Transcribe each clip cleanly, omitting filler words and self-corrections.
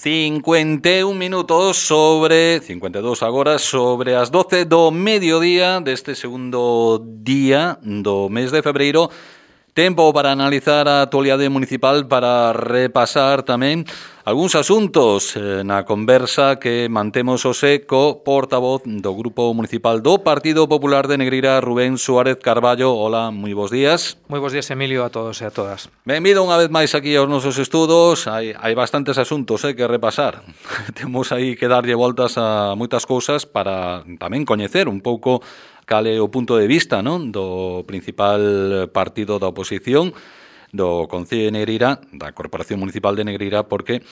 51 minutos sobre 52 agora sobre as 12 do mediodía deste segundo día do mes de febreiro. Tempo para analizar a actualidade municipal, para repasar tamén algúns asuntos na conversa que mantemos hoxe co portavoz do Grupo Municipal do Partido Popular de Negreira, Rubén Suárez Carballo. Hola, moi bons días. Moi bons días, Emilio, a todos e a todas. Benvido unha vez máis aquí aos nosos estudos. Hai bastantes asuntos que repasar. Temos aí que darlle voltas a moitas cousas para tamén coñecer un pouco cal é o punto de vista, non, do principal partido da oposición do Concello de Negreira, da Corporación Municipal de Negreira, porque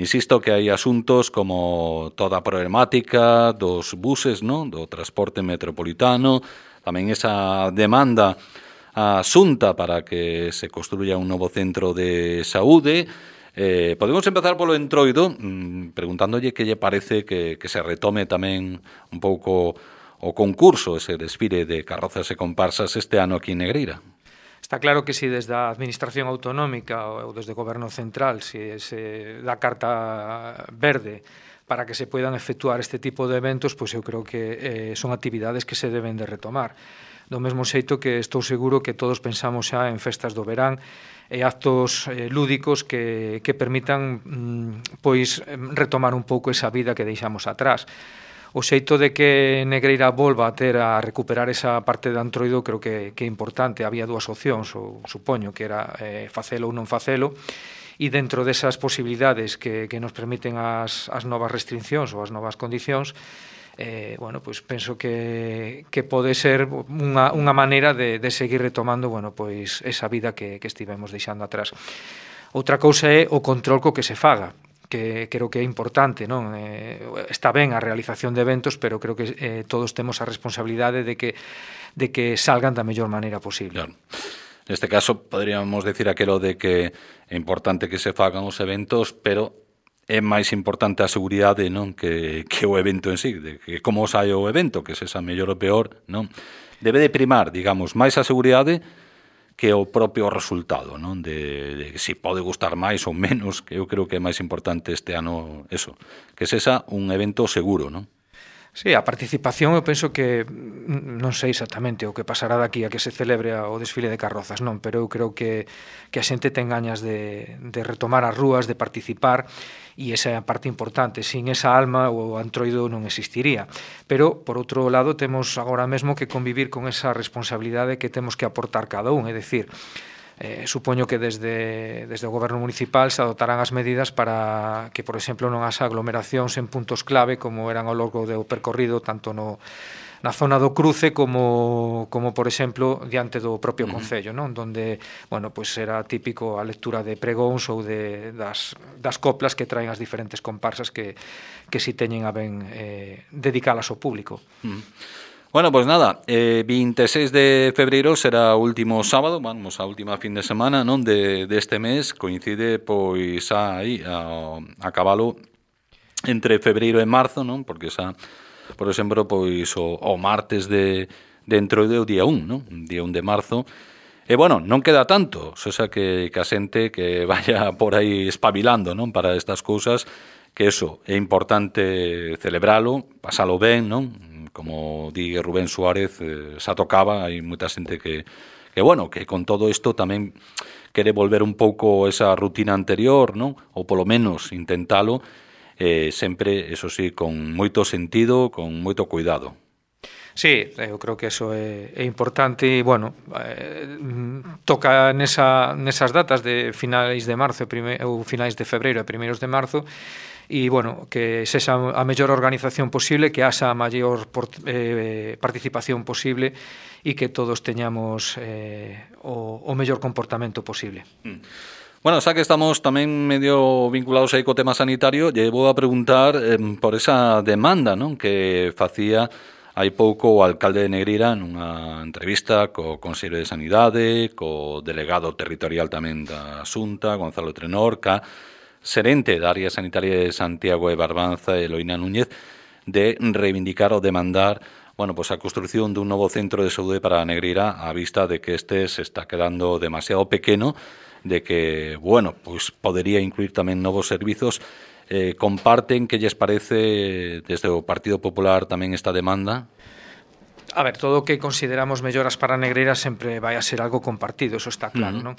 insisto que hai asuntos como toda a problemática dos buses, non, do transporte metropolitano, tamén esa demanda a Xunta para que se construya un novo centro de saúde. Podemos empezar polo entroido preguntándolle que lle parece que se retome tamén un pouco o concurso, ese desfile de carrozas e comparsas este ano aquí en Negreira. Está claro que si desde a Administración Autonómica ou desde o Goberno Central se dá carta verde para que se poidan efectuar este tipo de eventos, pois eu creo que son actividades que se deben de retomar. Do mesmo xeito que estou seguro que todos pensamos xa en festas do verán e actos lúdicos que permitan pois retomar un pouco esa vida que deixamos atrás. O xeito de que Negreira volva a recuperar esa parte de Antroido creo que é importante. Había dúas opcións, supoño, que era facelo ou non facelo, e dentro desas posibilidades que nos permiten as novas restriccións ou as novas condicións, bueno, pois penso que pode ser unha maneira de seguir retomando, bueno, pois esa vida que estivemos deixando atrás. Outra cousa é o control co que se faga, que creo que é importante, non? Está ben a realización de eventos, pero creo que todos temos a responsabilidade de que salgan da mellor maneira posible. Claro. Neste caso, poderíamos decir aquelo de que é importante que se fagan os eventos, pero é máis importante a seguridade, non, que o evento en sí, de que como sai o evento, que se xa mellor ou peor, non? Debe de primar, digamos, máis a seguridade que o propio resultado, non? De si pode gustar máis ou menos, que eu creo que é máis importante este ano eso, que sexa un evento seguro, non? Sí, a participación eu penso que non sei exactamente o que pasará daqui a que se celebre o desfile de carrozas, non, pero eu creo que a xente ten gañas de retomar as rúas, de participar, e esa é a parte importante. Sin esa alma o Antroido non existiría. Pero, por outro lado, temos agora mesmo que convivir con esa responsabilidade que temos que aportar cada un, é dicir, supoño que desde o Goberno Municipal se adoptarán as medidas para que, por exemplo, non haxa aglomeracións en puntos clave como eran ao longo do percorrido, tanto na zona do cruce como por exemplo, diante do propio Concello, non? Donde, bueno, pois era típico a lectura de pregóns ou das coplas que traen as diferentes comparsas que si teñen a ben dedicalas ao público. Bueno, pois nada, 26 de febreiro será o último sábado, vamos, a última fin de semana, non, deste mes, coincide pois aí a cabalo entre febreiro e marzo, non? Porque xa, por exemplo, pois o martes de dentro do día 1, non? Día 1 de marzo. E bueno, non queda tanto, xa que a xente que vaya por aí espabilando, non, para estas cousas, que eso é importante celebralo, pasalo ben, non? Como di Rubén Suárez, xa tocaba, hai moita xente que bueno, que con todo isto tamén quere volver un pouco esa rutina anterior, non? Ou polo menos intentalo, sempre, eso sí, con moito sentido, con moito cuidado. Sí, eu creo que eso é importante e, bueno, toca nesas datas de finais de marzo ou finais de febreiro e primeiros de marzo e, bueno, que sexa a mellor organización posible, que haxa a maior participación posible e que todos teñamos o mellor comportamento posible. Bueno, xa que estamos tamén medio vinculados aí co tema sanitario, lle vou a preguntar por esa demanda, non, que facía hai pouco o alcalde de Negreira nunha entrevista co Consello de Sanidade, co delegado territorial tamén da Xunta, Gonzalo Trenorca, xerente da área sanitaria de Santiago de Barbanza, Eloína Núñez, de reivindicar ou demandar, bueno, pues a construción dun novo centro de saúde para Negreira a vista de que este se está quedando demasiado pequeno, de que, bueno, pues podería incluir tamén novos servizos comparten, que lles parece desde o Partido Popular tamén esta demanda? A ver, todo o que consideramos melloras para Negreira sempre vai a ser algo compartido, eso está claro, non?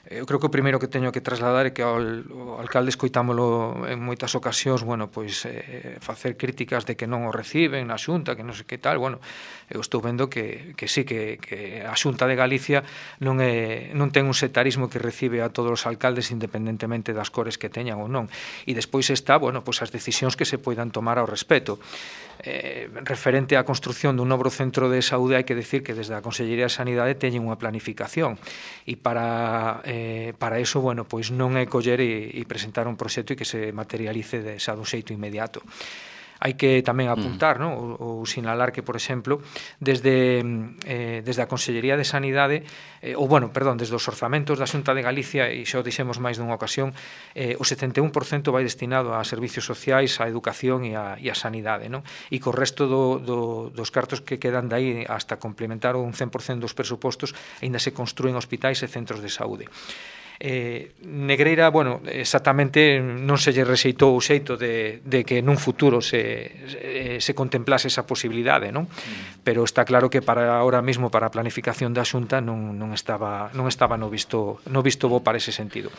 Eu creo que o primeiro que teño que trasladar é que o alcalde escoitámolo en moitas ocasións, bueno, pois facer críticas de que non o reciben na Xunta, que non sei que tal, bueno, eu estou vendo que sí, que a Xunta de Galicia non ten un setarismo que recibe a todos os alcaldes independentemente das cores que teñan ou non. E despois está, bueno, pois as decisións que se poidan tomar ao respecto. Referente á construción dun novo centro de saúde, hai que decir que desde a Consellería de Sanidade teñen unha planificación e para eso, bueno, pois non é coller e presentar un proxecto e que se materialice dun xeito inmediato. Hai que tamén apuntar, non? Ou sinalar que, por exemplo, desde a Consellería de Sanidade, desde os orzamentos da Xunta de Galicia, e xa o dixemos máis dunha ocasión, o 71% vai destinado a servicios sociais, a educación e a sanidade, non? E co resto dos cartos que quedan dai hasta complementar un 100% dos presupostos, aínda se construen hospitais e centros de saúde. Negreira, bueno, exactamente non se lle rexeitou o xeito de que nun futuro se contemplase esa posibilidade, non? Pero está claro que para ahora mismo, para a planificación da Xunta non estaba no visto bo para ese sentido.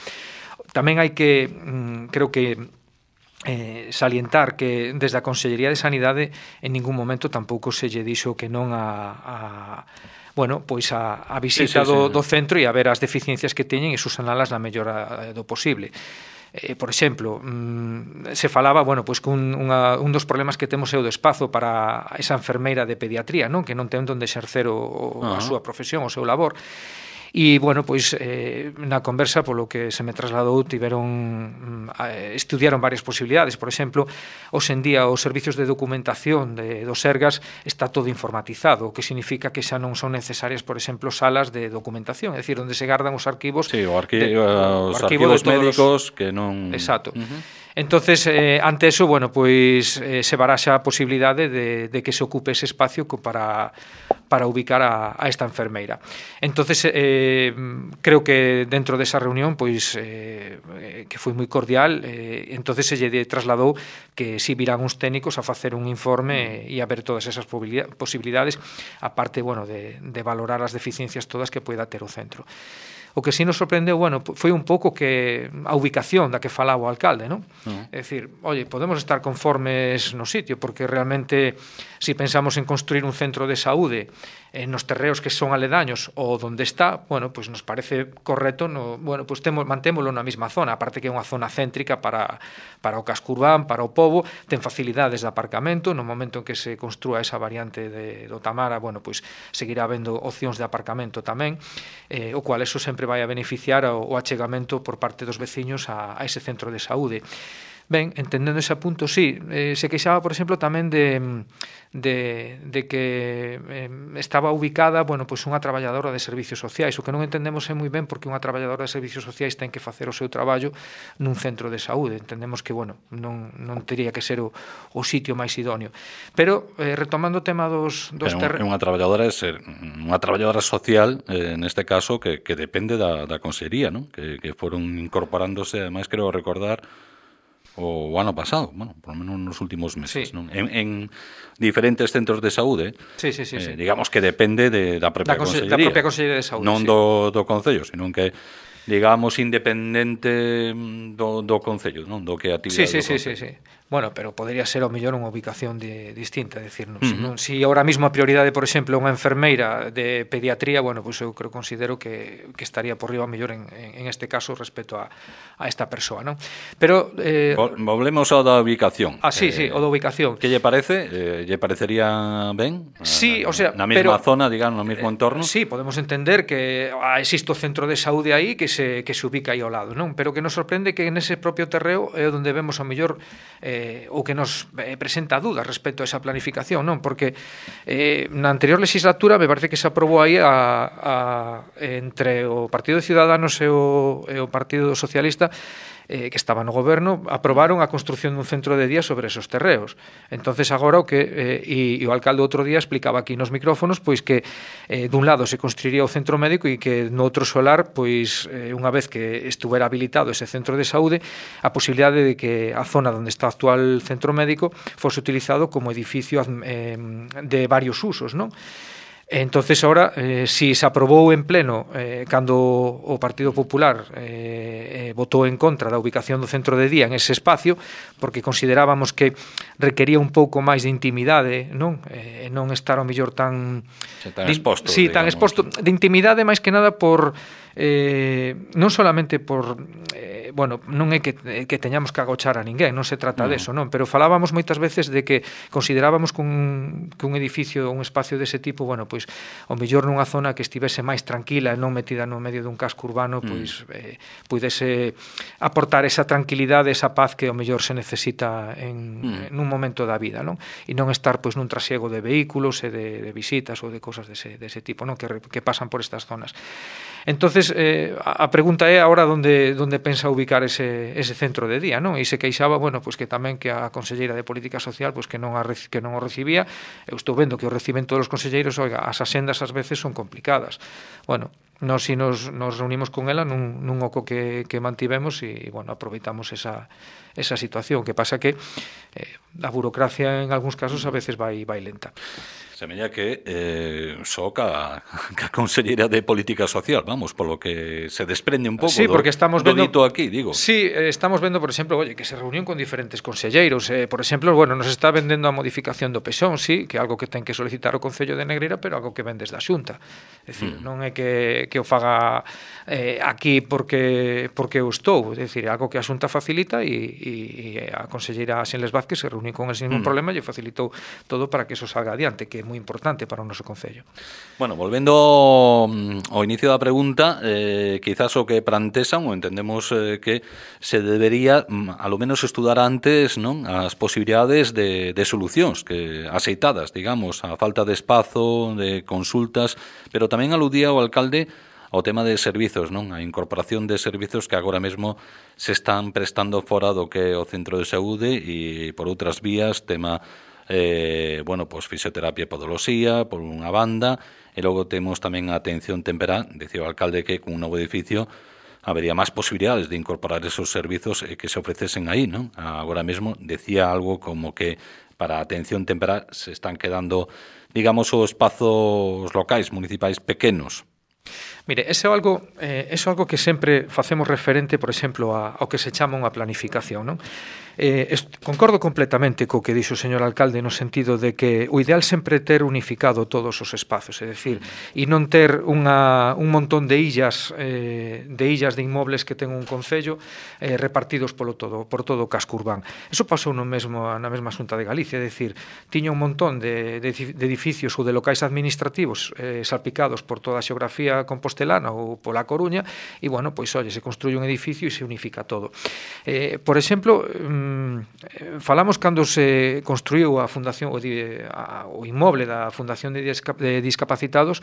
Tamén hai que, creo que salientar que desde a Consellería de Sanidade en ningún momento tampouco se lle dixo que non a visita do centro e a ver as deficiencias que teñen e subsanalas na mellora do posible. Por exemplo, se falaba, que un dos problemas que temos é o do espazo para esa enfermeira de pediatría, non? Que non ten onde exercer a súa profesión, o seu labor. E, na conversa, polo que se me trasladou, estudiaron varias posibilidades. Por exemplo, hoxe en día os servicios de documentación dos Sergas está todo informatizado, o que significa que xa non son necesarias, por exemplo, salas de documentación, é dicir, onde se gardan os arquivos. Sí, os arquivos médicos que non... Exacto. Entonces, ante eso, se baraxa a posibilidade de que se ocupe ese espacio para ubicar a esta enfermeira. Entonces, creo que dentro desa reunión, que foi moi cordial, entonces se lle trasladou que si virán uns técnicos a facer un informe e a ver todas esas posibilidades, aparte, de valorar as deficiencias todas que poida ter o centro. O que si nos sorprendeu, foi un pouco que a ubicación da que falaba o alcalde, non? É dicir, podemos estar conformes no sitio, porque realmente, se pensamos en construir un centro de saúde nos terreos que son aledaños ou onde está, nos parece correcto, mantémolo na mesma zona, aparte que é unha zona céntrica para o casco urbán, para o pobo, ten facilidades de aparcamento, no momento en que se construa esa variante do Tamara, seguirá habendo opcións de aparcamento tamén, o cual eso sempre vai a beneficiar o achegamento por parte dos veciños a ese centro de saúde. Ben, entendendo ese punto, sí, se queixaba, por exemplo, tamén de que estaba ubicada, unha traballadora de servicios sociais, o que non entendemos é moi ben porque unha traballadora de servicios sociais ten que facer o seu traballo nun centro de saúde. Entendemos que, non teria que ser o sitio máis idóneo. Pero, retomando o tema dos terrenos... É unha traballadora social, neste caso, que depende da Consellería, non? Que foron incorporándose, ademais, creo recordar, o ano pasado, por lo menos nos últimos meses, non? En diferentes centros de saúde, sí. digamos que depende da propia Consellería. Da propia Consellería de Saúde, non do Concello, sino que, digamos, independente do Concello, non? Do que actividade do Concello. Sí. Pero podería ser ao mellor unha ubicación distinta, decir, si ahora mismo a prioridade, por exemplo, unha enfermeira de pediatría, eu considero que estaría por riba ao mellor en este caso respecto a esta persoa, non? Pero volvemos ao da ubicación. Sí, o da ubicación. Que lle parece? Lle parecería ben? Sí, na mesma zona, digamos, no mesmo entorno? Sí, podemos entender que existe o centro de saúde aí que se ubica aí ao lado, non? Pero que nos sorprende que nese propio terreo é onde vemos ao mellor o que nos presenta dudas respecto a esa planificación, non? Porque na anterior legislatura me parece que se aprobou aí entre o Partido de Ciudadanos e o Partido Socialista que estaba no goberno, aprobaron a construción dun centro de día sobre esos terreos. Entonces agora o que e o alcalde outro día explicaba aquí nos micrófonos pois que dun lado se construiría o centro médico e que no outro solar, pois unha vez que estuvera habilitado ese centro de saúde, a posibilidade de que a zona onde está o actual centro médico fose utilizado como edificio de varios usos, non? Entonces ahora, si se aprobou en pleno cando o Partido Popular votou en contra da ubicación do centro de día en ese espacio, porque considerábamos que requería un pouco máis de intimidade, non? Non estar ao mellor tan exposto, sí, tan exposto, de intimidade máis que nada por non solamente por bueno, non é que teñamos que agochar a ninguén, non se trata deso, non, pero falábamos moitas veces de que considerábamos que un edificio, un espacio dese tipo, bueno, pois ao mellor nunha zona que estivese máis tranquila e non metida no medio dun casco urbano, pois pudese aportar esa tranquilidade, esa paz que ao mellor se necesita nun momento da vida, non? E non estar pois nun trasiego de vehículos e de visitas ou de cousas dese tipo, non, que pasan por estas zonas. Entonces, a pregunta é agora onde pensa ubicar ese centro de día, non? E se queixaba, bueno, pois que tamén que a conselleira de Política Social pois que non o recibía. Eu estou vendo que o reciben todos os conselleiros, oiga, as asendas ás veces son complicadas. Bueno, nos reunimos con ela nun oco que mantivemos e, bueno, aproveitamos esa situación. Que pasa que a burocracia en algúns casos a veces vai lenta. Semella que só ca conselleira de Política Social, vamos, polo que se desprende un pouco porque estamos do vendo, dito aquí, digo. Sí, estamos vendo, por exemplo, oye, que se reunión con diferentes conselleiros. Por exemplo, bueno, nos está vendendo a modificación do PESON, sí, que é algo que ten que solicitar o Concello de Negreira, pero algo que ven desde a Xunta. É dicir, non é que o faga aquí porque eu estou, é dicir, algo que a Xunta facilita e a conselleira Xenles Vázquez se reuniu con el sin ningún problema e facilitou todo para que eso salga adiante, que moi importante para o noso concello. Bueno, volvendo ao inicio da pregunta, quizás o que plantesan, ou entendemos que se debería, a lo menos, estudar antes, non, as posibilidades de solucións que aceitadas, digamos, a falta de espazo, de consultas, pero tamén aludía o alcalde ao tema de servizos, non? A incorporación de servizos que agora mesmo se están prestando fora do que é o centro de saúde e por outras vías, tema bueno, pois fisioterapia e podoloxía, por unha banda, e logo temos tamén a atención temperá, dicía o alcalde que con un novo edificio habería máis posibilidades de incorporar esos servizos que se ofrecesen aí, non? Agora mesmo decía algo como que para a atención temperá se están quedando, digamos, os espazos locais, municipais pequenos. Mire, eso é algo que sempre facemos referente, por exemplo, ao que se chama unha planificación, non? Concordo completamente co que dixo o señor alcalde no sentido de que o ideal sempre é ter unificado todos os espazos, é dicir, e non ter un montón de illas de inmobles que ten un concello repartidos por todo o casco urbán. Eso pasou na mesma Xunta de Galicia, é dicir, tiña un montón de edificios ou de locais administrativos salpicados por toda a xeografía compostelana ou pola Coruña e, bueno, pois, oye, se construye un edificio e se unifica todo. Por exemplo, falamos cando se construiu a fundación o inmoble da Fundación de Discapacitados,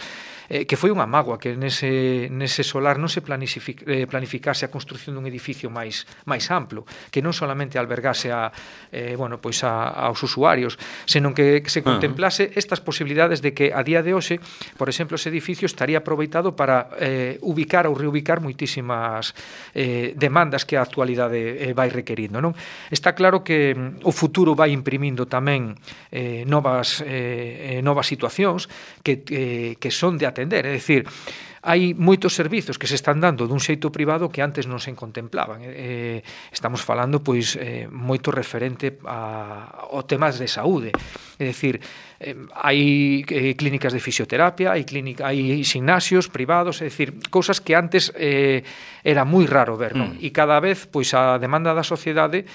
que foi unha mágoa que nese solar non se planificase a construción dun edificio máis amplo, que non solamente albergase aos usuarios, senón que se contemplase estas posibilidades de que a día de hoxe, por exemplo, ese edificio estaría aproveitado para ubicar ou reubicar moitísimas demandas que a actualidade vai requerindo, non? Está claro que o futuro vai imprimindo tamén novas situacións que son de atender, é dicir, hai moitos servizos que se están dando dun xeito privado que antes non se contemplaban. Estamos falando pois moito referente ao temas de saúde. É dicir, hai clínicas de fisioterapia, hai gimnasios privados, é dicir, cousas que antes era moi raro ver, non? E cada vez pois a demanda da sociedade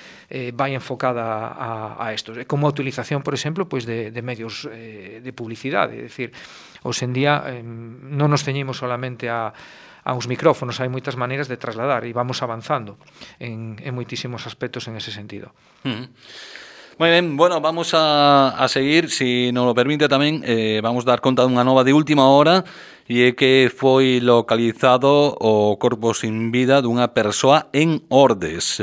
vai enfocada a isto, como a utilización, por exemplo, pois de medios de publicidade, é dicir, hoxe en día non nos ceñimos solamente a uns micrófonos, hai moitas maneiras de trasladar e vamos avanzando en moitísimos aspectos en ese sentido. Moi ben, bueno, vamos a seguir, si nos lo permite tamén, vamos dar conta dunha nova de última hora, e é que foi localizado o corpo sin vida dunha persoa en Ordes.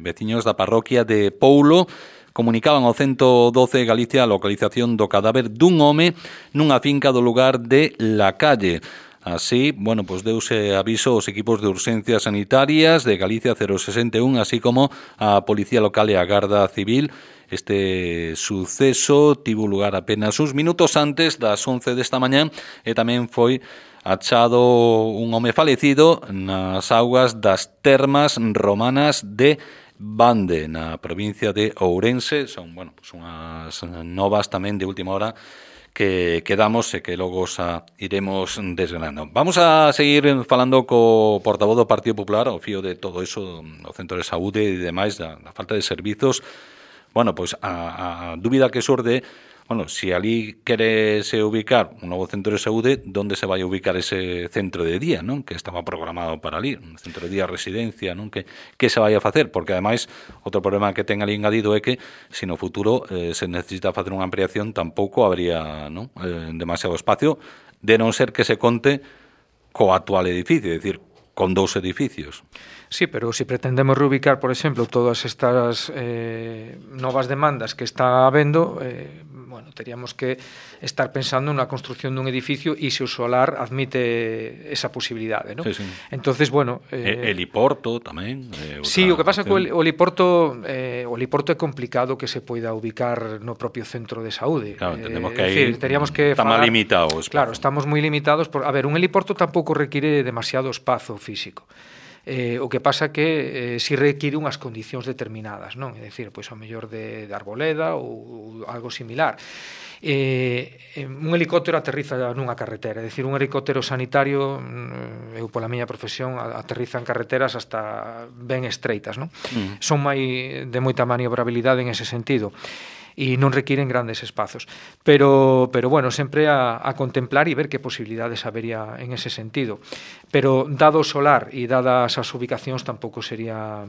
Veciños da parroquia de Poulo comunicaban ao 112 Galicia a localización do cadáver dun home nunha finca do lugar de La Calle. Así, bueno, pues deuse aviso aos equipos de urxencias sanitarias de Galicia 061, así como a Policía Local e a Garda Civil. Este suceso tivo lugar apenas uns minutos antes das 11 desta mañá e tamén foi achado un home falecido nas augas das termas romanas de Bande, na provincia de Ourense. Son, bueno, pues unhas novas tamén de última hora que damos e que logo xa iremos desgranando. Vamos a seguir falando co portavoz do Partido Popular ao fío de todo eso, o centro de saúde e demais, da falta de servizos. Bueno, pois a dúbida que xorde, bueno, se ali querese ubicar un novo centro de saúde, onde se vai ubicar ese centro de día, non? Que estaba programado para ali, un centro de día residencia, non? Que se vai a facer? Porque, ademais, outro problema que ten ali engadido é que, se no futuro se necesita facer unha ampliación, tampouco habría, non? Demasiado espacio, de non ser que se conte co actual edificio, é dicir, con 2 edificios. Sí, pero si pretendemos reubicar, por exemplo, todas estas novas demandas que está habendo, bueno, teríamos que estar pensando na construción dun edificio e se o solar admite esa posibilidade, ¿no? Sí, sí. Entonces, bueno... heliporto tamén. Sí, o que pasa que o heliporto é complicado que se poida ubicar no propio centro de saúde. Claro, entendemos que aí teríamos que está máis limitado o espazo. Claro, estamos moi limitados. A ver, un heliporto tampouco require demasiado espazo físico. O que pasa que si require unhas condicións determinadas, non? É dicir, pois ao mellor de arboleda ou algo similar. Un helicóptero aterriza nunha carretera, é dicir, un helicóptero sanitario, eu pola miña profesión aterriza en carreteras hasta ben estreitas, non? Son de moita maniobrabilidade en ese sentido e non requiren grandes espazos. Pero bueno, sempre a contemplar e ver que posibilidades habería en ese sentido. Pero dado o solar e dadas as ubicacións tampouco sería,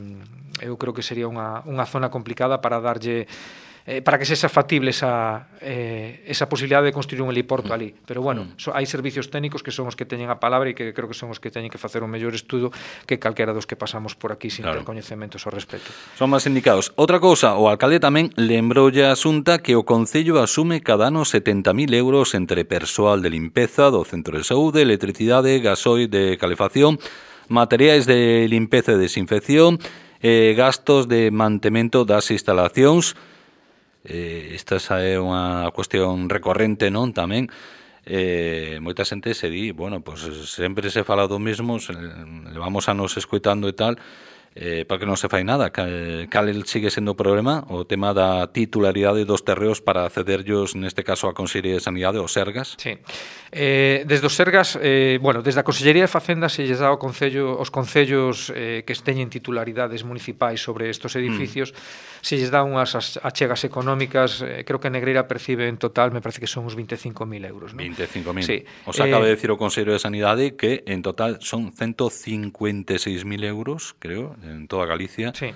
eu creo que sería unha zona complicada para darlle para que sexa factible esa posibilidade de construir un heliporto ali. Pero bueno, hai servicios técnicos que son os que teñen a palabra e que creo que son os que teñen que facer un mellor estudo que calquera dos que pasamos por aquí sin ter coñecementos ao respecto. Son máis indicados. Outra cousa, o alcalde tamén lembroulle a Xunta que o Concello asume cada ano 70.000 euros entre persoal de limpeza do centro de saúde, electricidade, gasoil de calefacción, materiais de limpeza e desinfección, gastos de mantemento das instalacións. Esta é unha cuestión recorrente, non? Tamén moita xente se di, bueno, pues sempre se fala do mesmo, levamos anos escoitando e tal, porque non se fai nada. Cal sigue sendo o problema? O tema da titularidade dos terreos para accederllos, neste caso, a Consellería de Sanidade, os Sergas? Sí. Desde os Sergas, bueno, desde a Consellería de Facenda se lles dá aos concellos que teñen titularidades municipais sobre estos edificios, se lles dá unhas achegas económicas, creo que Negreira percibe en total, me parece que son uns 25.000 euros, ¿no? 25.000. Sí. Os acaba de decir o Consello de Sanidade que en total son 156.000 euros, creo, en toda Galicia, sí.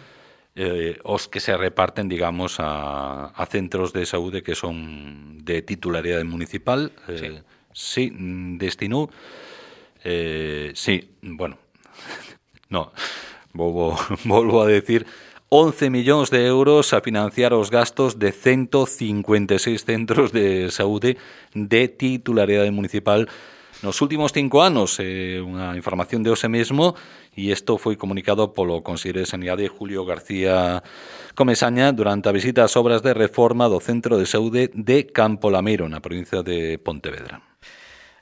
Os que se reparten, digamos, a centros de saúde que son de titularidade municipal. Sí, destinou, sí, bueno, no, volvo a decir, 11 millóns de euros a financiar os gastos de 156 centros de saúde de titularidade municipal nos últimos 5 anos. Unha información de hoxe mesmo, e isto foi comunicado polo Conselleiro de Sanidade Julio García Comesaña durante a visita ás obras de reforma do Centro de Saúde de Campo Lameiro, na provincia de Pontevedra.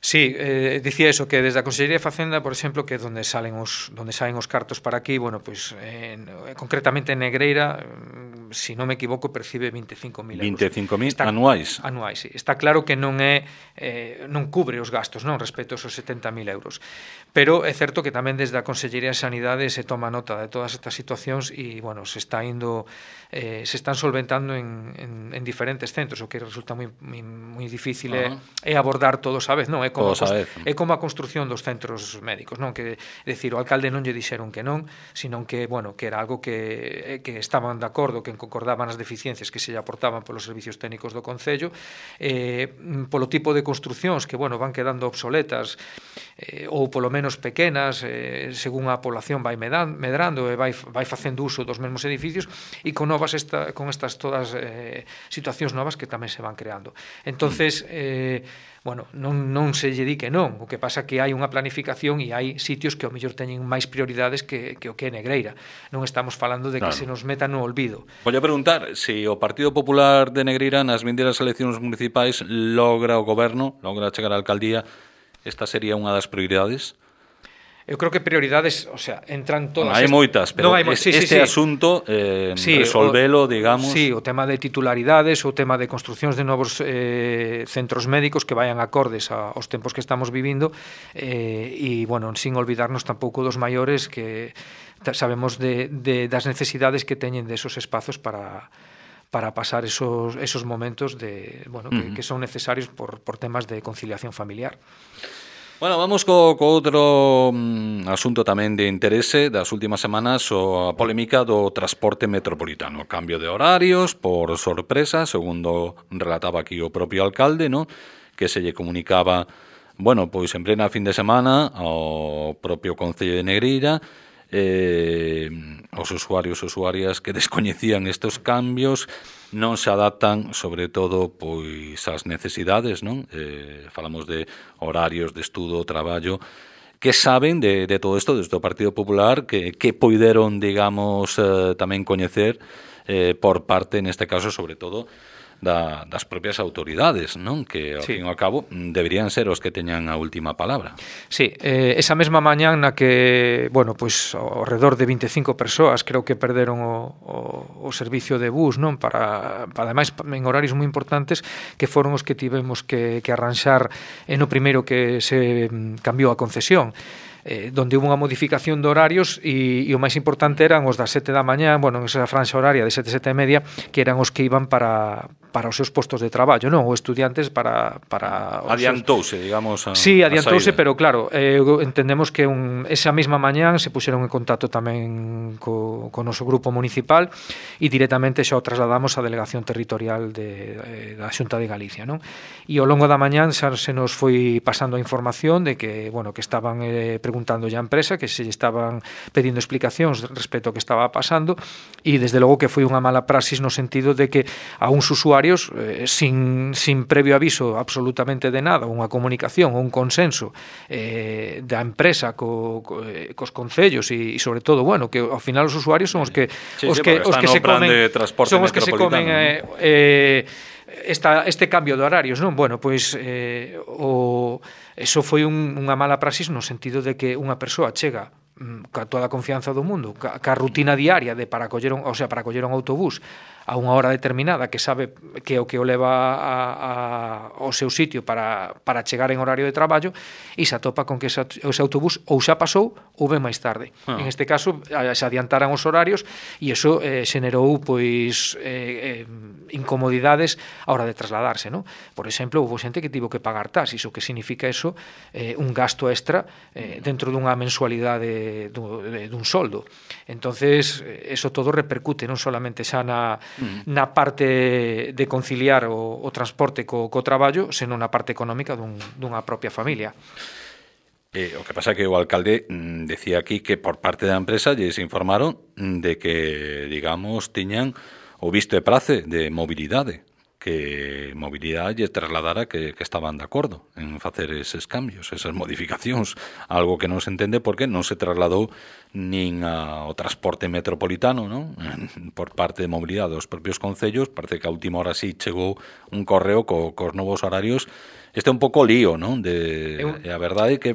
Sí, dicía eso, que desde a Consellería de Facenda, por exemplo, que donde saen os cartos para aquí, bueno, pues concretamente en Negreira, si non me equivoco, percibe 25.000 euros. 25.000 anuais. Anuais, sí. Está claro que non cubre os gastos, non, respecto aos 70.000 euros. Pero é certo que tamén desde a Consellería de Sanidade se toma nota de todas estas situacións e, bueno, se están solventando en diferentes centros, o que resulta moi difícil é abordar todos a vez, non? É como a construción dos centros médicos, non? Que, decir, o alcalde non lle dixeron que non, senón que, bueno, que era algo que estaban de acordo, que concordaban as deficiencias que se lle aportaban polos servicios técnicos do Concello, polo tipo de construcións que, bueno, van quedando obsoletas, ou polo menos pequenas, según a población vai medrando e vai facendo uso dos mesmos edificios, e con estas todas situacións novas que tamén se van creando. Entonces, bueno, non se lle di que non, o que pasa que hai unha planificación e hai sitios que ao mellor teñen máis prioridades que o que é Negreira. Non estamos falando de que se nos meta no olvido. Voy a preguntar se o Partido Popular de Negreira nas vindeiras eleccións municipais logra o goberno, logra chegar á alcaldía, esta sería unha das prioridades? Eu creo que prioridades, o sea, entran todas... Hai moitas, pero este asunto, resolvelo, digamos... Sí, o tema de titularidades, o tema de construcións de novos centros médicos que vayan acordes aos tempos que estamos vivindo, e, bueno, sin olvidarnos tampouco dos maiores, que sabemos das necesidades que teñen desos espazos para pasar esos momentos que son necesarios por temas de conciliación familiar. Bueno, vamos co outro asunto tamén de interese das últimas semanas, a polémica do transporte metropolitano. Cambio de horarios por sorpresa, segundo relataba aquí o propio alcalde, ¿no? Que se lle comunicaba, bueno, pois en plena fin de semana ao propio Concello de Negreira, os usuarios e usuarias que descoñecían estes cambios non se adaptan, sobre todo, pois ás necesidades, non? Falamos de horarios de estudo, traballo, que saben de todo isto desde o Partido Popular, que poideron, digamos, tamén coñecer por parte, neste caso, sobre todo, das propias autoridades, non? Que, ao fin e ao cabo, deberían ser os que teñan a última palabra. Sí, esa mesma mañán na que, bueno, pois, ao redor de 25 persoas creo que perderon o servicio de bus, non? Para ademais, en horarios moi importantes, que foron os que tivemos que arranxar no primeiro que se cambiou a concesión, donde hubo unha modificación de horarios e o máis importante eran os das 7 da mañá, bueno, en esa franxa horaria de 7 e media, que eran os que iban para os seus postos de traballo, non? Ou estudiantes para adiantouse, digamos, sí, adiantouse, pero claro, entendemos que esa mesma mañán se puxeron en contacto tamén co noso grupo municipal e directamente xa o trasladamos á delegación territorial da Xunta de Galicia, non? E ao longo da mañán xa se nos foi pasando a información de que, bueno, que estaban preguntando a empresa, que se estaban pedindo explicacións respecto ao que estaba pasando, e desde logo que foi unha mala praxis no sentido de que a uns usuarios sin previo aviso absolutamente de nada, unha comunicación ou un consenso da empresa cos concellos e sobre todo, bueno, que ao final os usuarios son os que se comen este cambio de horarios, non? Bueno, pois eso foi unha mala praxis no sentido de que unha persoa chega ca toda a confianza do mundo, ca rutina diaria de para coller un autobús a unha hora determinada, que sabe que o leva ao seu sitio para chegar en horario de traballo, e se atopa con que ese autobús ou xa pasou ou ven máis tarde. En este caso, se adiantaran os horarios e iso xenerou pois incomodidades a hora de trasladarse, non? Por exemplo, houve xente que tivo que pagar taxis, o que significa eso, un gasto extra dentro dunha mensualidade dun soldo. Entonces, eso todo repercute non solamente xa na parte de conciliar o transporte co traballo, senón na parte económica dunha propia familia. O que pasa é que o alcalde decía aquí que por parte da empresa lles informaron de que, digamos, tiñan o visto e prace de mobilidade, que mobilidade lle trasladara que estaban de acordo en facer eses cambios, esas modificacións, algo que non se entende porque non se trasladou nin ao transporte metropolitano, non? Por parte de mobilidade dos propios concellos. Parece que a última hora sí chegou un correo cos novos horarios. Este é un pouco lío, non? E a verdade é que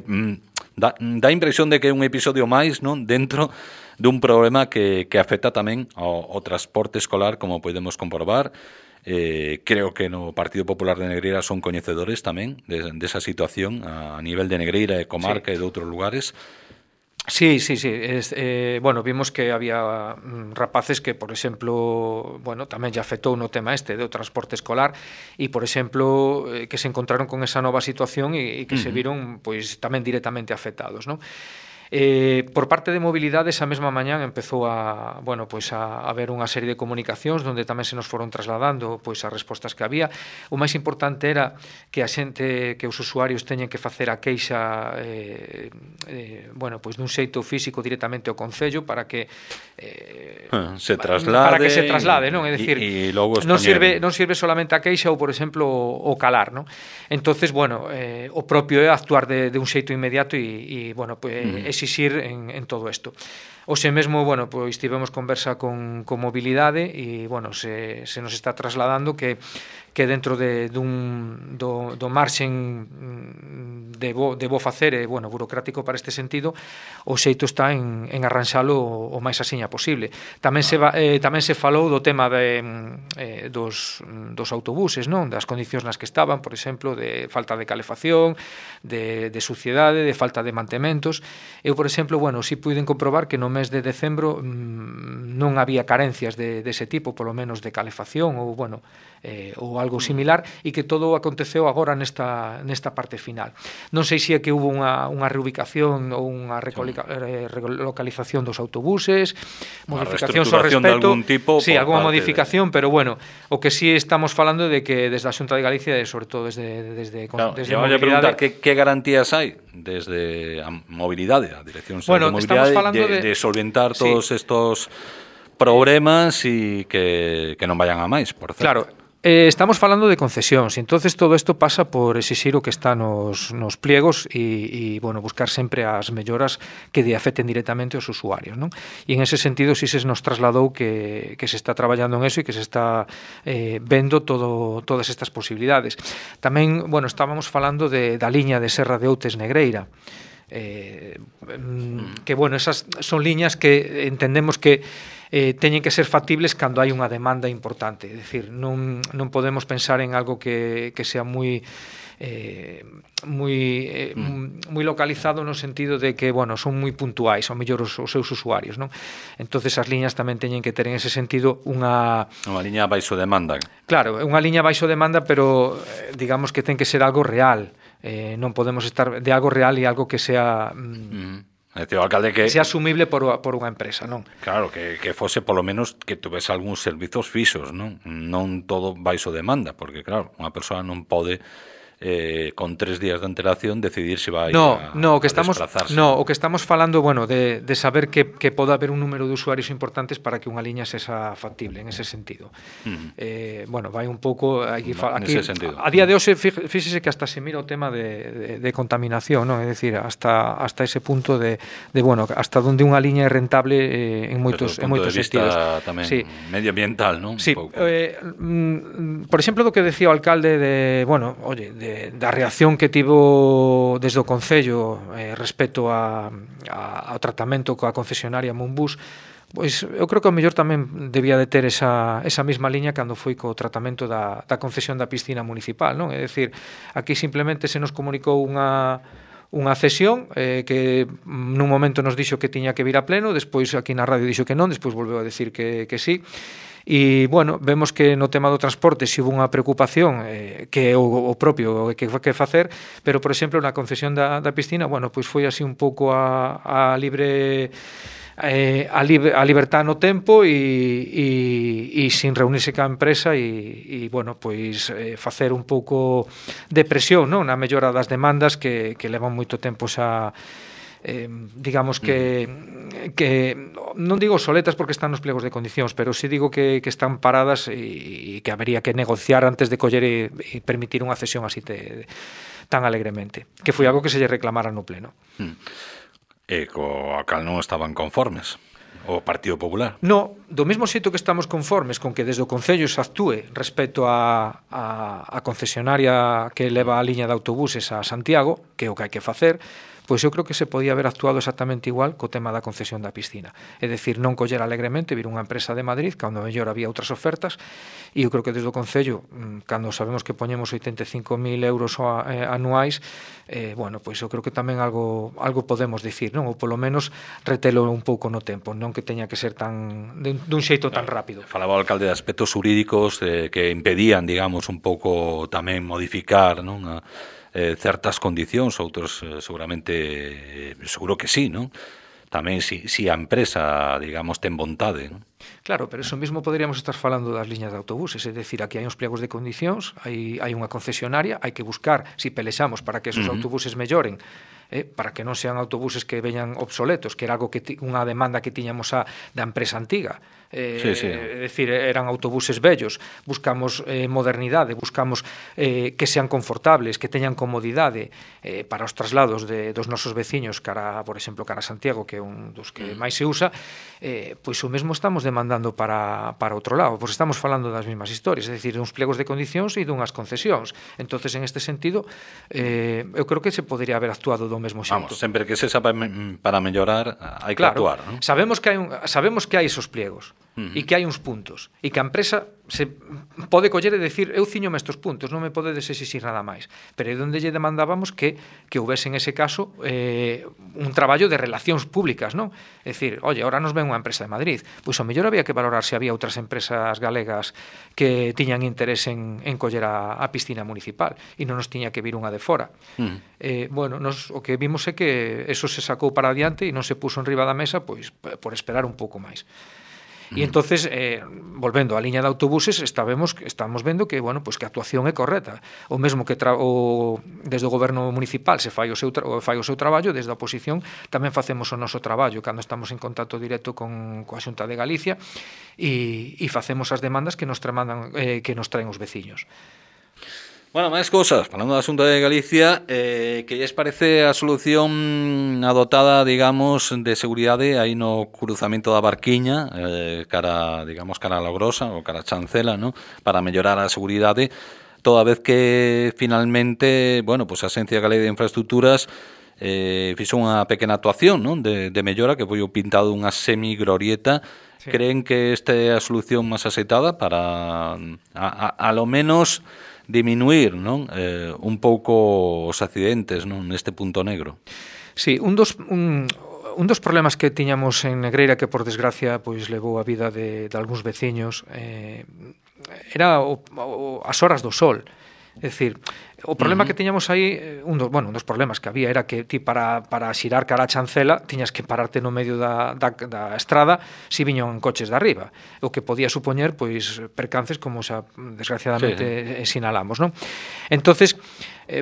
dá impresión de que é un episodio máis, non? Dentro dun problema que afecta tamén ao transporte escolar, como podemos comprobar. Creo que no Partido Popular de Negreira son coñecedores tamén desa situación a nivel de Negreira e comarca, sí, e de outros lugares. Sí. Bueno, vimos que había rapaces que, por exemplo, bueno, tamén lle afectou no tema do transporte escolar e, por exemplo, que se encontraron con esa nova situación e que se viron pois tamén directamente afectados, non? Por parte de mobilidade, esa mesma mañán empezou a haber unha serie de comunicacións onde tamén se nos foron trasladando pois as respostas que había. O máis importante era que a xente, que os usuarios teñen que facer a queixa dun xeito físico directamente ao Concello para que se traslade, non? É dicir, non sirve solamente a queixa ou, por exemplo, o calar, non? Entonces, o propio é actuar de un xeito inmediato e exixir en todo isto. Hoxe mesmo, pois tivemos conversa con mobilidade e, se nos está trasladando que dentro do marxen de bo facer e, burocrático para este sentido, o xeito está en arranxalo o máis asiña posible. Tamén se falou do tema dos autobuses, non? Das condicións nas que estaban, por exemplo, de falta de calefacción, de suciedade, de falta de mantementos. Eu, por exemplo, si puiden comprobar que no mes de decembro non había carencias dese tipo, polo menos de calefacción ou algo similar, e que todo aconteceu agora nesta parte final. Non sei se é que hubo unha reubicación ou unha relocalización dos autobuses, modificacións ao respecto, algunha modificación, pero o que sí estamos falando de que desde a Xunta de Galicia e sobre todo desde mobilidade. Preguntar, que garantías hai desde a mobilidade, a Dirección de Mobilidade, de solventar todos estos problemas e que non vayan a máis, por certo? Claro. Estamos falando de concesións, entonces todo isto pasa por exixir o que está nos pliegos e buscar sempre as melloras que afecten directamente aos usuarios, non? E en ese sentido si se nos trasladou que se está traballando en eso e que se está vendo todas estas posibilidades. Tamén, estábamos falando da liña de Serra de Outes Negreira, que esas son liñas que entendemos que teñen que ser factibles cando hai unha demanda importante, é dicir, non podemos pensar en algo que sea moi localizado no sentido de que, son moi puntuais, ao mellor os seus usuarios, non? Entonces as liñas tamén teñen que ter en ese sentido unha liña baixo demanda. Claro, unha liña baixo demanda, pero digamos que ten que ser algo real. Non podemos estar de algo real e algo que sea o alcalde que sea asumible por unha empresa, non? Claro, que fose polo menos que tuvese algúns servizos fixos, non todo baixo demanda, porque claro, unha persoa non pode con 3 días de antelación decidir se vai a desplazarse. O que estamos falando, de saber que pode haber un número de usuarios importantes para que unha liña sexa factible en ese sentido. Vai un pouco aquí a día de hoxe, fíxese que hasta se mira o tema de contaminación, non? É dicir, hasta ese punto de hasta onde unha liña é rentable en moitos sentidos. Tamén medioambiental, non? Sí, por exemplo, do que decía o alcalde da reacción que tivo desde o Concello respecto ao tratamento coa concesionaria Monbus, pois eu creo que ao mellor tamén debía de ter esa mesma liña cando foi co tratamento da concesión da piscina municipal, non? É dicir, aquí simplemente se nos comunicou unha cesión que nun momento nos dixo que tiña que vir a pleno, despois aquí na radio dixo que non, despois volveu a decir que sí. E, vemos que no tema do transporte si hubo unha preocupación que o propio que facer, pero, por exemplo, na concesión da piscina, pois foi así un pouco a libertad no tempo e sin reunirse ca empresa e facer un pouco de presión, non? Na mellora das demandas que levan moito tempo xa digamos que non digo soletas porque están nos plegos de condicións, pero sí digo que están paradas e que habería que negociar antes de coller e permitir unha cesión así tan alegremente, que foi algo que se lle reclamara no pleno. E coa cal non estaban conformes o Partido Popular? No, do mesmo xeito que estamos conformes con que desde o Concello se actúe respecto a concesionaria que leva a liña de autobuses a Santiago, que é o que hai que facer, pois eu creo que se podía haber actuado exactamente igual co tema da concesión da piscina. É dicir, non coller alegremente vir unha empresa de Madrid cando mellor había outras ofertas, e eu creo que desde o Concello, cando sabemos que poñemos 85.000 euros anuais, bueno, pois eu creo que tamén algo podemos dicir, non? Ou polo menos retelo un pouco no tempo, non que teña que ser tan dun xeito tan rápido. Falaba o alcalde de aspectos jurídicos que impedían, digamos, un pouco tamén modificar, non? Certas condicións, outros seguramente, seguro que sí, non? Tamén si a empresa, digamos, ten vontade, non? Claro, pero eso mesmo poderíamos estar falando das liñas de autobuses, é dicir, aquí hai uns pliegos de condicións, hai unha concesionaria, hai que buscar, si pelexamos para que esos autobuses melloren, para que non sean autobuses que veñan obsoletos, que era algo unha demanda que tiñamos da empresa antiga. Sí. É dicir, eran autobuses vellos, buscamos modernidade, buscamos que sean confortables, que teñan comodidade para os traslados dos nosos veciños cara, por exemplo, cara a Santiago, que é un dos que máis se usa, pois o mesmo estamos demandando para outro lado, pois estamos falando das mesmas historias, é dicir, uns pliegos de condicións e dunhas concesións. Entonces, en este sentido, eu creo que se podría haber actuado do mesmo xeito. Vamos, sempre que se sabe para mellorar, hai que actuar, non? Sabemos que hai esos pliegos, e que hai uns puntos, e que a empresa se pode coller e decir, eu ciñome estes puntos, non me podedes exixir nada máis, pero é onde lle demandábamos que houvese en ese caso un traballo de relacións públicas, non? É dicir, oye, ahora nos ven unha empresa de Madrid, pois ao mellor había que valorar se había outras empresas galegas que tiñan interés en coller a piscina municipal e non nos tiña que vir unha de fora. Bueno, o que vimos é que eso se sacou para adiante e non se puso en riba da mesa pois por esperar un pouco máis. E entonces, volvendo á liña de autobuses, estamos vendo que, bueno, pues que a actuación é correcta. O mesmo que desde o goberno municipal se fai o seu traballo, desde a oposición tamén facemos o noso traballo cando estamos en contacto directo coa Xunta de Galicia e facemos as demandas que nos traen os veciños. Bueno, máis cousas, falando da Xunta de Galicia, que lles parece a solución adotada, digamos, de seguridade aí no cruzamento da Barquiña, cara a Logrosa ou cara a Chancela, ¿no? Para mellorar a seguridade, toda vez que finalmente, bueno, pues a Axencia Galega de Infraestructuras fixo unha pequena actuación, ¿no? de mellora, que foi o pintado unha semiglorieta. Sí. Creen que esta é a solución máis aceitada para a lo menos diminuir, non? Un pouco os accidentes, non? Neste punto negro. Sí, un dos problemas que tiñamos en Negreira, que por desgracia pois levou a vida de algúns veciños, era as horas do sol. É dicir, o problema que tiñamos aí, un dos problemas que había era que ti para xirar cara a Chancela tiñas que pararte no medio da estrada si viñan coches de arriba, o que podía supoñer pois percances como xa desgraciadamente sinalamos, non? Entonces,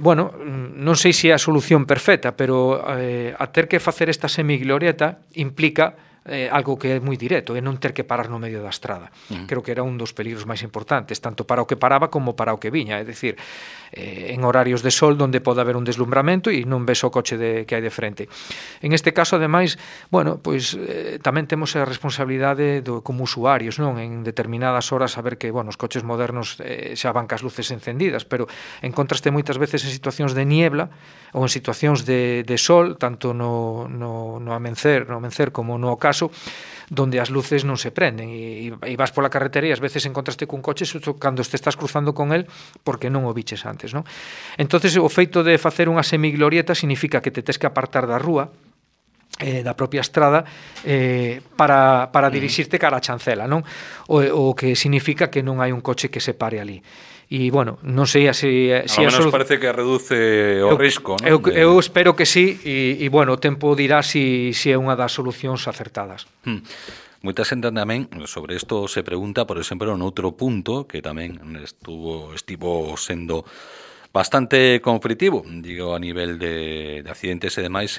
bueno, non sei se é a solución perfecta, pero a ter que facer esta semiglorieta implica algo que é moi directo, é non ter que parar no medio da estrada. Creo que era un dos peligros máis importantes, tanto para o que paraba como para o que viña, é dicir, en horarios de sol onde pode haber un deslumbramento e non ves o coche que hai de frente. En este caso, ademais, bueno, pois tamén temos a responsabilidade como usuarios, non? En determinadas horas saber que, bueno, os coches modernos xa van cas luces encendidas, pero encontraste moitas veces en situacións de niebla ou en situacións de sol, tanto no amencer como no ocaso, donde as luces non se prenden e vas pola carretera e ás veces encontraste cun coche cando te estás cruzando con el porque non o biches antes, non? Entonces, o feito de facer unha semiglorieta significa que te tes que apartar da rúa, da propia estrada, para dirixirte cara a Chancela, non? O que significa que non hai un coche que se pare ali. E, bueno, non sei se a menos parece que reduce o risco, non? Eu espero que sí, e bueno, o tempo dirá se é unha das solucións acertadas. Moita xente tamén sobre isto se pregunta, por exemplo, noutro punto que tamén estivo sendo bastante conflitivo, digo, a nivel de accidentes e demais,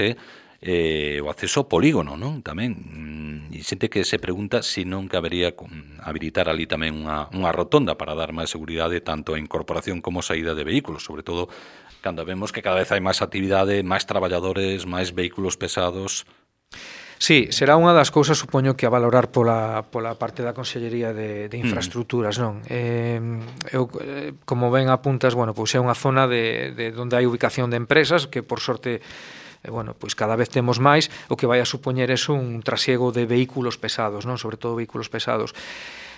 o acceso ao polígono, non? Tamén, e xente que se pregunta se non cabería habilitar ali tamén unha rotonda para dar máis seguridade tanto a incorporación como saída de vehículos, sobre todo cando vemos que cada vez hai máis actividade, máis traballadores, máis vehículos pesados. Sí, será unha das cousas, supoño, que a valorar pola parte da Consellería de Infraestructuras, non? Eu, como ben apuntas, bueno, pois é unha zona de onde hai ubicación de empresas que, por sorte, bueno, pois cada vez temos máis, o que vai a supoñer eso un trasiego de vehículos pesados, non? Sobre todo vehículos pesados.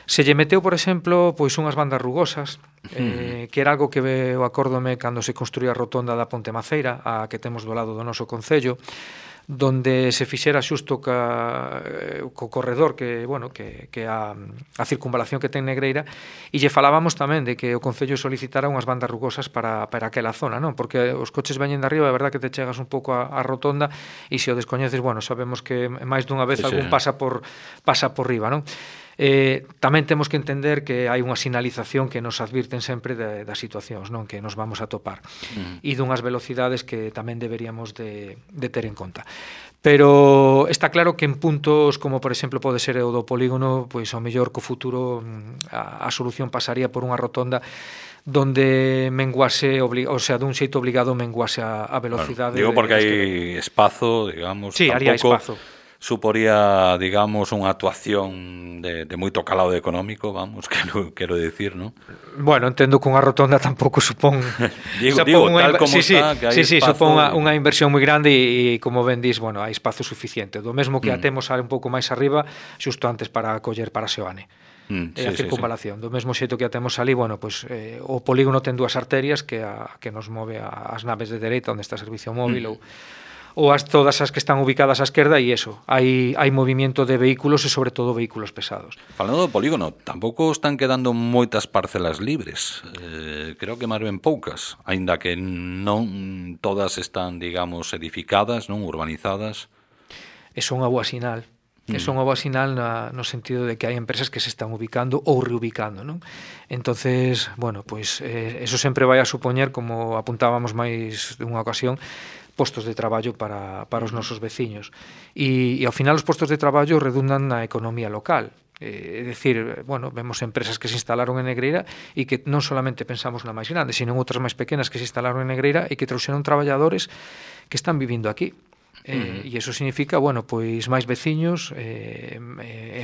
Se lle meteu, por exemplo, pois unhas bandas rugosas, que era algo que eu acórdome cando se construía a rotonda da Ponte Maceira, a que temos do lado do noso concello, donde se fixera xusto co corredor que, bueno, que a circunvalación que ten Negreira, e lle falábamos tamén de que o concello solicitara unhas bandas rugosas para aquela zona, non? Porque os coches veñen de arriba, é verdad que te chegas un pouco a rotonda e se o descoñeces, bueno, sabemos que máis dunha vez algún pasa por riba, non? Tamén temos que entender que hai unha sinalización que nos advirten sempre das situacións, non, que nos vamos a topar e dunhas velocidades que tamén deberíamos de ter en conta. Pero está claro que en puntos como por exemplo pode ser o do polígono, pois ao mellor co futuro a solución pasaría por unha rotonda donde menguase, o sea, dun xeito obligado menguase a velocidade. Digo porque hai espazo, digamos, sí, haría espazo. Suporía, digamos, unha actuación de moito calado económico, vamos, quero decir, ¿no? Bueno, entendo que unha rotonda tampouco supón digo tal como está, que hai espazo. Supón unha inversión moi grande e como ben dis, bueno, hai espazo suficiente. Do mesmo que a temos un pouco máis arriba, xusto antes para coller para Seoane. E a circunvalación. Do mesmo xeito que a temos ali, bueno, pues, o polígono ten dúas arterias que nos move as naves de dereita onde está o servicio móvil ou todas as que están ubicadas á esquerda e eso, hai movimento de vehículos e sobre todo vehículos pesados. Falando do polígono, tampouco están quedando moitas parcelas libres, creo que máis ben poucas, aínda que non todas están, digamos, edificadas, non urbanizadas. É unha boa sinal. É unha boa sinal no sentido de que hai empresas que se están ubicando ou reubicando, non? Entonces, bueno, pues eso sempre vai a supoñer, como apuntábamos máis dunha ocasión, postos de traballo para os nosos veciños. E ao final os postos de traballo redundan na economía local. É dicir, bueno, vemos empresas que se instalaron en Negreira e que non solamente pensamos na máis grande, sino en outras máis pequenas que se instalaron en Negreira e que trouxeron traballadores que están vivindo aquí. E iso significa, bueno, pois máis veciños e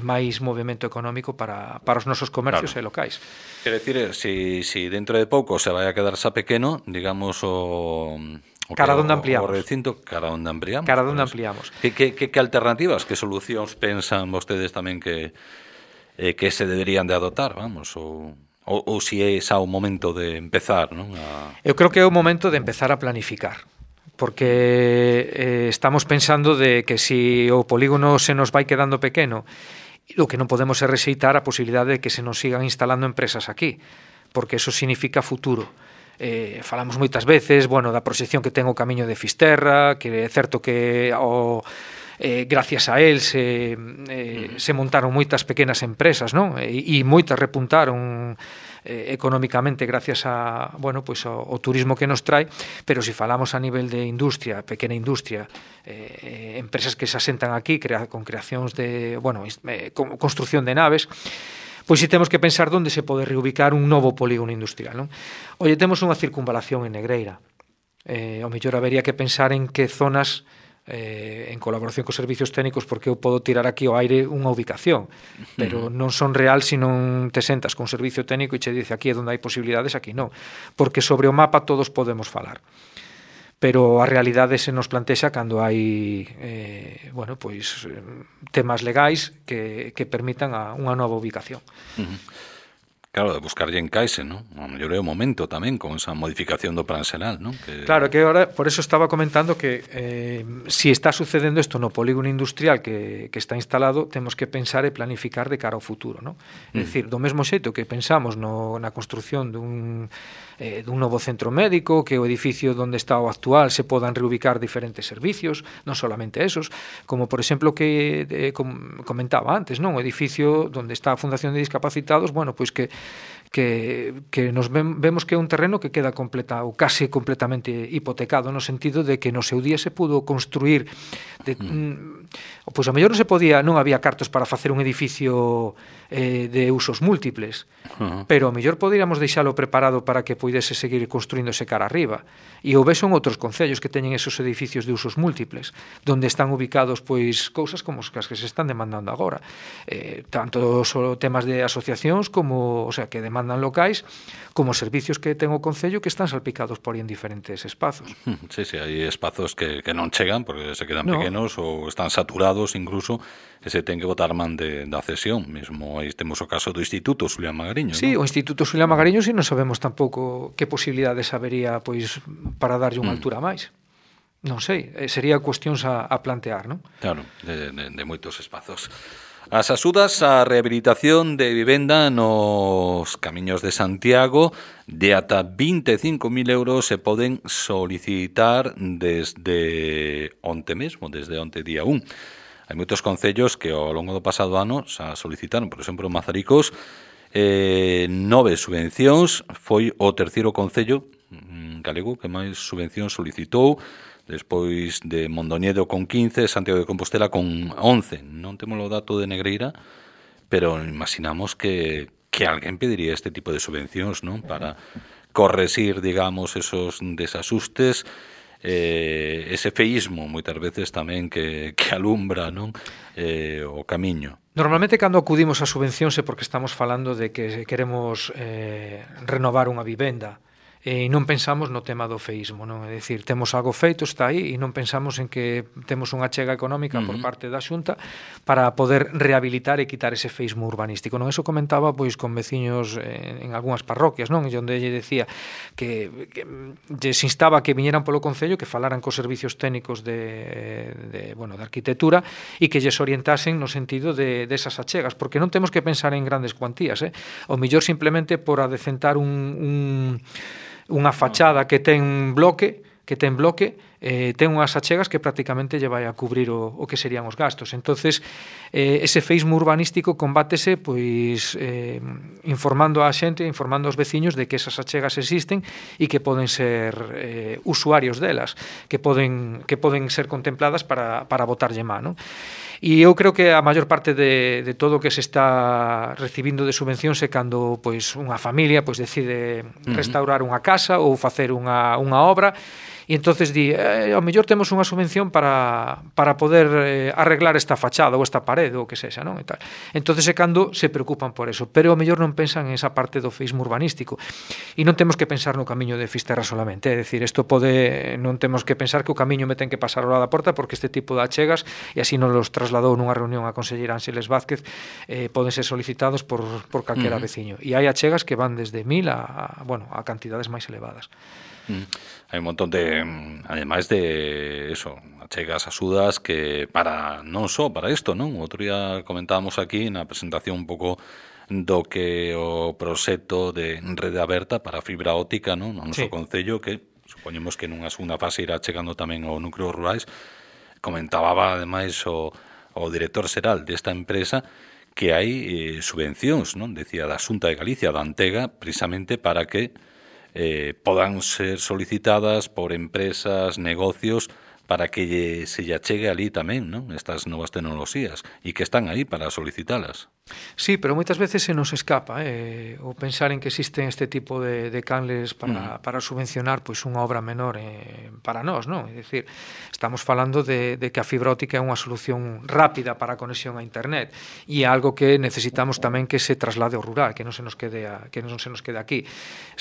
máis movimento económico para os nosos comercios e locais. Quer decir, si dentro de pouco se vai a quedar xa pequeno, digamos, cara onde ampliamos. O recinto, cara onde ampliamos. Cara onde ampliamos. Que alternativas, que solucións pensan vostedes tamén que se deberían de adoptar, vamos, ou si é xa o momento de empezar, non? Eu creo que é o momento de empezar a planificar, porque estamos pensando de que si o polígono se nos vai quedando pequeno, o que non podemos é rexeitar a posibilidade de que se nos sigan instalando empresas aquí, porque eso significa futuro. Falamos moitas veces, bueno, da proxección que ten o camiño de Fisterra, que é certo que gracias a él se montaron moitas pequenas empresas, non? E moitas repuntaron económicamente gracias a, bueno, pues ao turismo que nos trae, pero se falamos a nivel de industria, pequena industria, empresas que se asentan aquí con creacións de, bueno, construcción de naves, pois si temos que pensar onde se pode reubicar un novo polígono industrial, non? Oye, temos unha circunvalación en Negreira. Ao mellor habería que pensar en que zonas, en colaboración cos servicios técnicos, porque eu podo tirar aquí ao aire unha ubicación, pero non son real se non te sentas con un servicio técnico e che dice aquí é onde hai posibilidades, aquí non. Porque sobre o mapa todos podemos falar. Pero a realidade se nos plantexa cando hai bueno, pois, temas legais que permitan unha nova ubicación. Claro, de buscarlle encaixe, ¿no? A mellor é o momento tamén con esa modificación do plan xeral, ¿no? Claro, que ahora, por eso estaba comentando que si está sucedendo isto no polígono industrial que está instalado, temos que pensar e planificar de cara ao futuro, ¿no? É dicir, do mesmo xeito que pensamos na construción dun novo centro médico, que o edificio onde está o actual se podan reubicar diferentes servicios, non solamente esos, como por exemplo que comentaba antes, non? O edificio onde está a Fundación de Discapacitados, bueno, pois que nos vemos que é un terreno que queda completa ou case completamente hipotecado, no sentido de que no seu día se pudo construir pois a mellor non había cartos para facer un edificio de usos múltiples, pero a mellor poderíamos deixalo preparado para que puidese seguir construíndose cara arriba. E o ves son outros concellos que teñen esos edificios de usos múltiples, donde están ubicados pois cousas como as que se están demandando agora, tanto temas de asociacións como, o sea, que demandan demandan locais, como servicios que ten o Concello que están salpicados por aí en diferentes espazos. Sí, hai espazos que non chegan porque se quedan pequenos ou están saturados incluso, e se ten que botar man da cesión. Mesmo aí temos o caso do Instituto Xulián Magariño. Sí, o Instituto Xulián Magariño si non sabemos tampouco que posibilidades habería pois para darlle unha altura máis. Non sei, sería cuestións a plantear, non? Claro, de moitos espazos. As axudas á rehabilitación de vivenda nos camiños de Santiago de ata 25.000 euros se poden solicitar desde onte mesmo, desde onte día 1. Hai moitos concellos que ao longo do pasado ano xa solicitaron, por exemplo, Mazaricos, 9 subvencións, foi o terceiro concello galego que máis subvencións solicitou, despois de Mondoñedo con 15, Santiago de Compostela con 11. Non temos o dato de Negreira, pero imaginamos que alguén pediría este tipo de subvencións, non? Para corresir, digamos, esos desasustes, ese feísmo, moitas veces tamén que alumbra, non? O camiño. Normalmente, cando acudimos a subvencións é porque estamos falando de que queremos renovar unha vivenda, e non pensamos no tema do feísmo, non? É dicir, temos algo feito, está aí, e non pensamos en que temos unha achega económica por parte da Xunta para poder rehabilitar e quitar ese feísmo urbanístico, non? Eso comentaba pois con veciños en algunhas parroquias, non? E onde lle decía que lles instaba que viñeran polo Concello, que falaran cos servicios técnicos de arquitectura e que lles orientasen no sentido de esas achegas, porque non temos que pensar en grandes cuantías, o mellor simplemente por adecentar unha fachada que ten bloque, ten unhas achegas que prácticamente lle vai a cubrir o que serían os gastos. Entonces, ese feísmo urbanístico combátese pois informando a xente, informando aos veciños de que esas achegas existen e que poden ser usuarios delas, que poden ser contempladas para botarlle man, non? E eu creo que a maior parte de todo o que se está recibindo de subvencións é cando pois unha familia pois decide restaurar unha casa ou facer unha obra, e entonces di, ao mellor temos unha subvención para poder arreglar esta fachada ou esta parede ou que sexa, non? E tal. Entonces é cando se preocupan por eso, pero ao mellor non pensan en esa parte do feísmo urbanístico. E non temos que pensar no camiño de Fisterra solamente, é dicir, non temos que pensar que o camiño me ten que pasar ao lado da porta, porque este tipo de achegas, e así nos los trasladou nunha reunión a conselleira Ángeles Vázquez, poden ser solicitados por calquera veciño. E hai achegas que van desde 1.000 a cantidades máis elevadas. Hai un montón de, ademais de eso, achegas, axudas que non só para isto, non? Outro día comentábamos aquí na presentación un pouco do que o proxecto de rede aberta para fibra óptica, non? No noso concello, que supoñemos que nunha segunda fase irá chegando tamén ao núcleos rurais. Comentaba ademais o director xeral desta empresa que hai subvencións, non? Decía da Xunta de Galicia, da Antega, precisamente para que podan ser solicitadas por empresas, negocios, para que se lle achegue ali tamén, non? Estas novas tecnoloxías, e que están aí para solicitalas. Sí, pero moitas veces se nos escapa o pensar en que existen este tipo de canles para subvencionar pois unha obra menor para nós, non? É dicir, estamos falando de que a fibra óptica é unha solución rápida para a conexión a internet, e é algo que necesitamos tamén que se traslade ao rural, que non se nos quede aquí.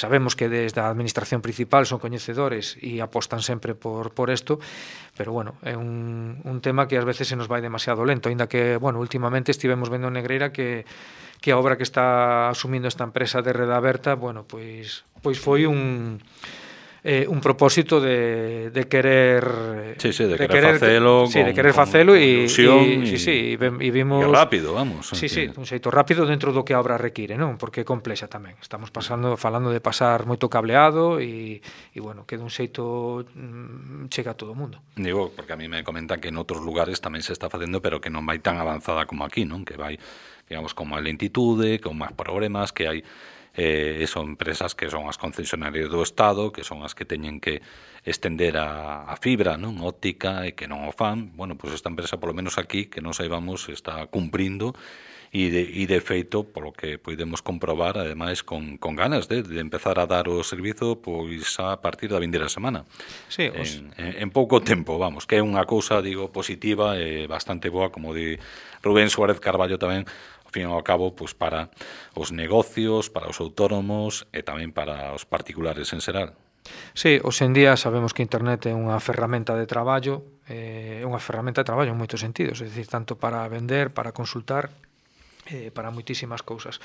Sabemos que desde a administración principal son coñecedores e apostan sempre por isto, pero bueno, é un tema que ás veces se nos vai demasiado lento, aínda que, bueno, últimamente estivemos vendo en Negreira que a obra que está asumindo esta empresa de rede aberta, bueno, pois foi un propósito de querer de querer facelo e vimos rápido, vamos. Sí, un xeito rápido dentro do que a obra require, non? Porque é complexa tamén. Estamos falando de pasar moito cableado e bueno, que dun xeito chega a todo o mundo. Digo, porque a mí me comentan que en outros lugares tamén se está facendo, pero que non vai tan avanzada como aquí, non? Que vai, digamos, con máis lentitude, con máis problemas, que hai son empresas que son as concesionarias do Estado, que son as que teñen que estender a fibra, non, óptica, e que non o fan. Bueno, pois esta empresa, polo menos aquí, que non saibamos, está cumprindo e de feito, polo que podemos comprobar, ademais, con ganas de empezar a dar o servizo pois a partir da vindeira semana. Sí, en pouco tempo, vamos, que é unha cousa, digo, positiva e bastante boa, como di Rubén Suárez Carballo tamén. Ao fin ao cabo, pois para os negocios, para os autónomos e tamén para os particulares en xeral. Sí, hoxe en día sabemos que internet é unha ferramenta de traballo, en moitos sentidos, é dicir, tanto para vender, para consultar, para moitísimas cousas.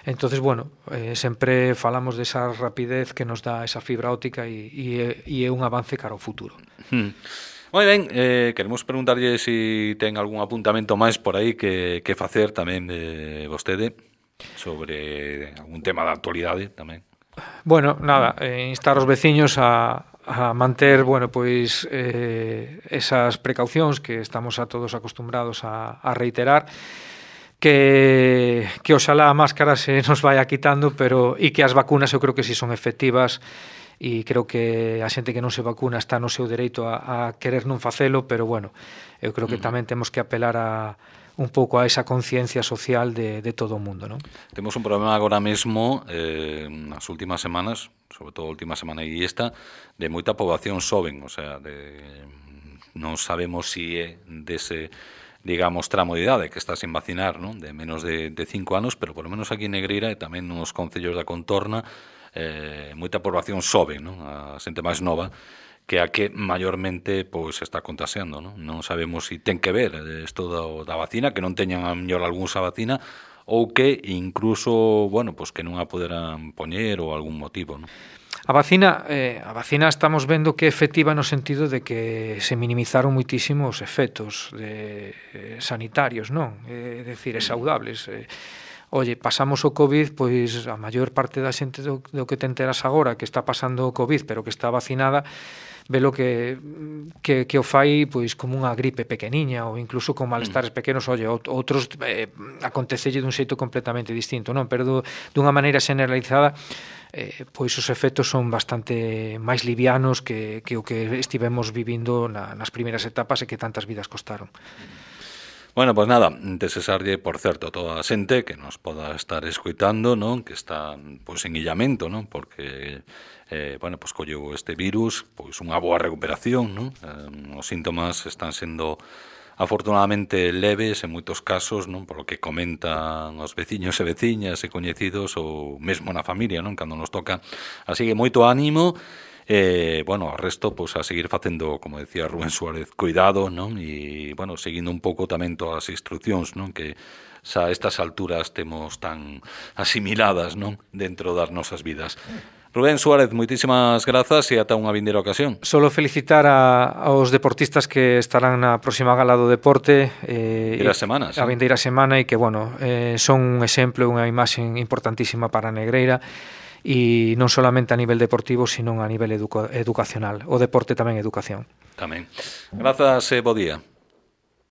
Entonces, bueno, sempre falamos desa rapidez que nos dá esa fibra óptica e é un avance cara ao futuro. Moi ben, queremos preguntarlle se ten algún apuntamento máis por aí que facer tamén de vostede sobre algún tema da actualidade tamén. Bueno, nada, instar os veciños a manter, bueno, pois esas precaucións que estamos a todos acostumbrados a reiterar, que oxalá a máscara se nos vaya quitando, pero e que as vacunas eu creo que si son efectivas, e creo que a xente que non se vacuna está no seu dereito a querer non facelo, pero bueno, eu creo que tamén temos que apelar a un pouco a esa conciencia social de todo o mundo, non? Temos un problema agora mesmo nas últimas semanas, sobre todo a última semana e esta, de moita poboación xoven, o sea, non sabemos si é dese, digamos, tramo de idade que está sin vacinar, non? De menos de 5 anos, pero por lo menos aquí en Negreira e tamén nos concellos da contorna, moita poboación xoven, non? A xente máis nova que a que maiormente pois está contaxiando, non? Non sabemos se ten que ver isto da vacina, que non teñan a mellor algúnsa vacina ou que incluso, bueno, pois que non a poderan poñer ou algún motivo, non? A vacina estamos vendo que é efectiva no sentido de que se minimizaron moitísimo os efectos sanitarios, non? É dicir, saudables. Oye, pasamos o COVID, pois a maior parte da xente do que te enteras agora que está pasando o COVID, pero que está vacinada, velo que o fai pois como unha gripe pequeniña ou incluso con malestares pequenos. Oye, outros acontecelle dun xeito completamente distinto, non? Pero dunha maneira generalizada, pois os efectos son bastante máis livianos que o que estivemos vivindo nas primeiras etapas e que tantas vidas costaron. Bueno, pois nada, desexarlle, por certo, a toda a xente que nos poda estar escoitando, non? Que está pois en illamento, non? Porque bueno, pois colleu este virus, pois unha boa recuperación, non? Os síntomas están sendo afortunadamente leves en moitos casos, non? Por lo que comentan os veciños e veciñas e coñecidos ou mesmo na familia, non? Cando nos toca. Así que moito ánimo. Bueno, o resto, pois a seguir facendo, como decía Rubén Suárez, cuidado, non? E, bueno, seguindo un pouco tamén todas as instruccións, non? Que xa a estas alturas temos tan asimiladas, non? Dentro das nosas vidas. Rubén Suárez, moitísimas grazas e ata unha vindeira ocasión. Solo felicitar aos deportistas que estarán na próxima gala do deporte a vindeira semana e que, bueno, son un exemplo, unha imaxe importantísima para Negreira, e non solamente a nivel deportivo, sino a nivel educacional. O deporte tamén é educación. Tamén. Grazas e bo día.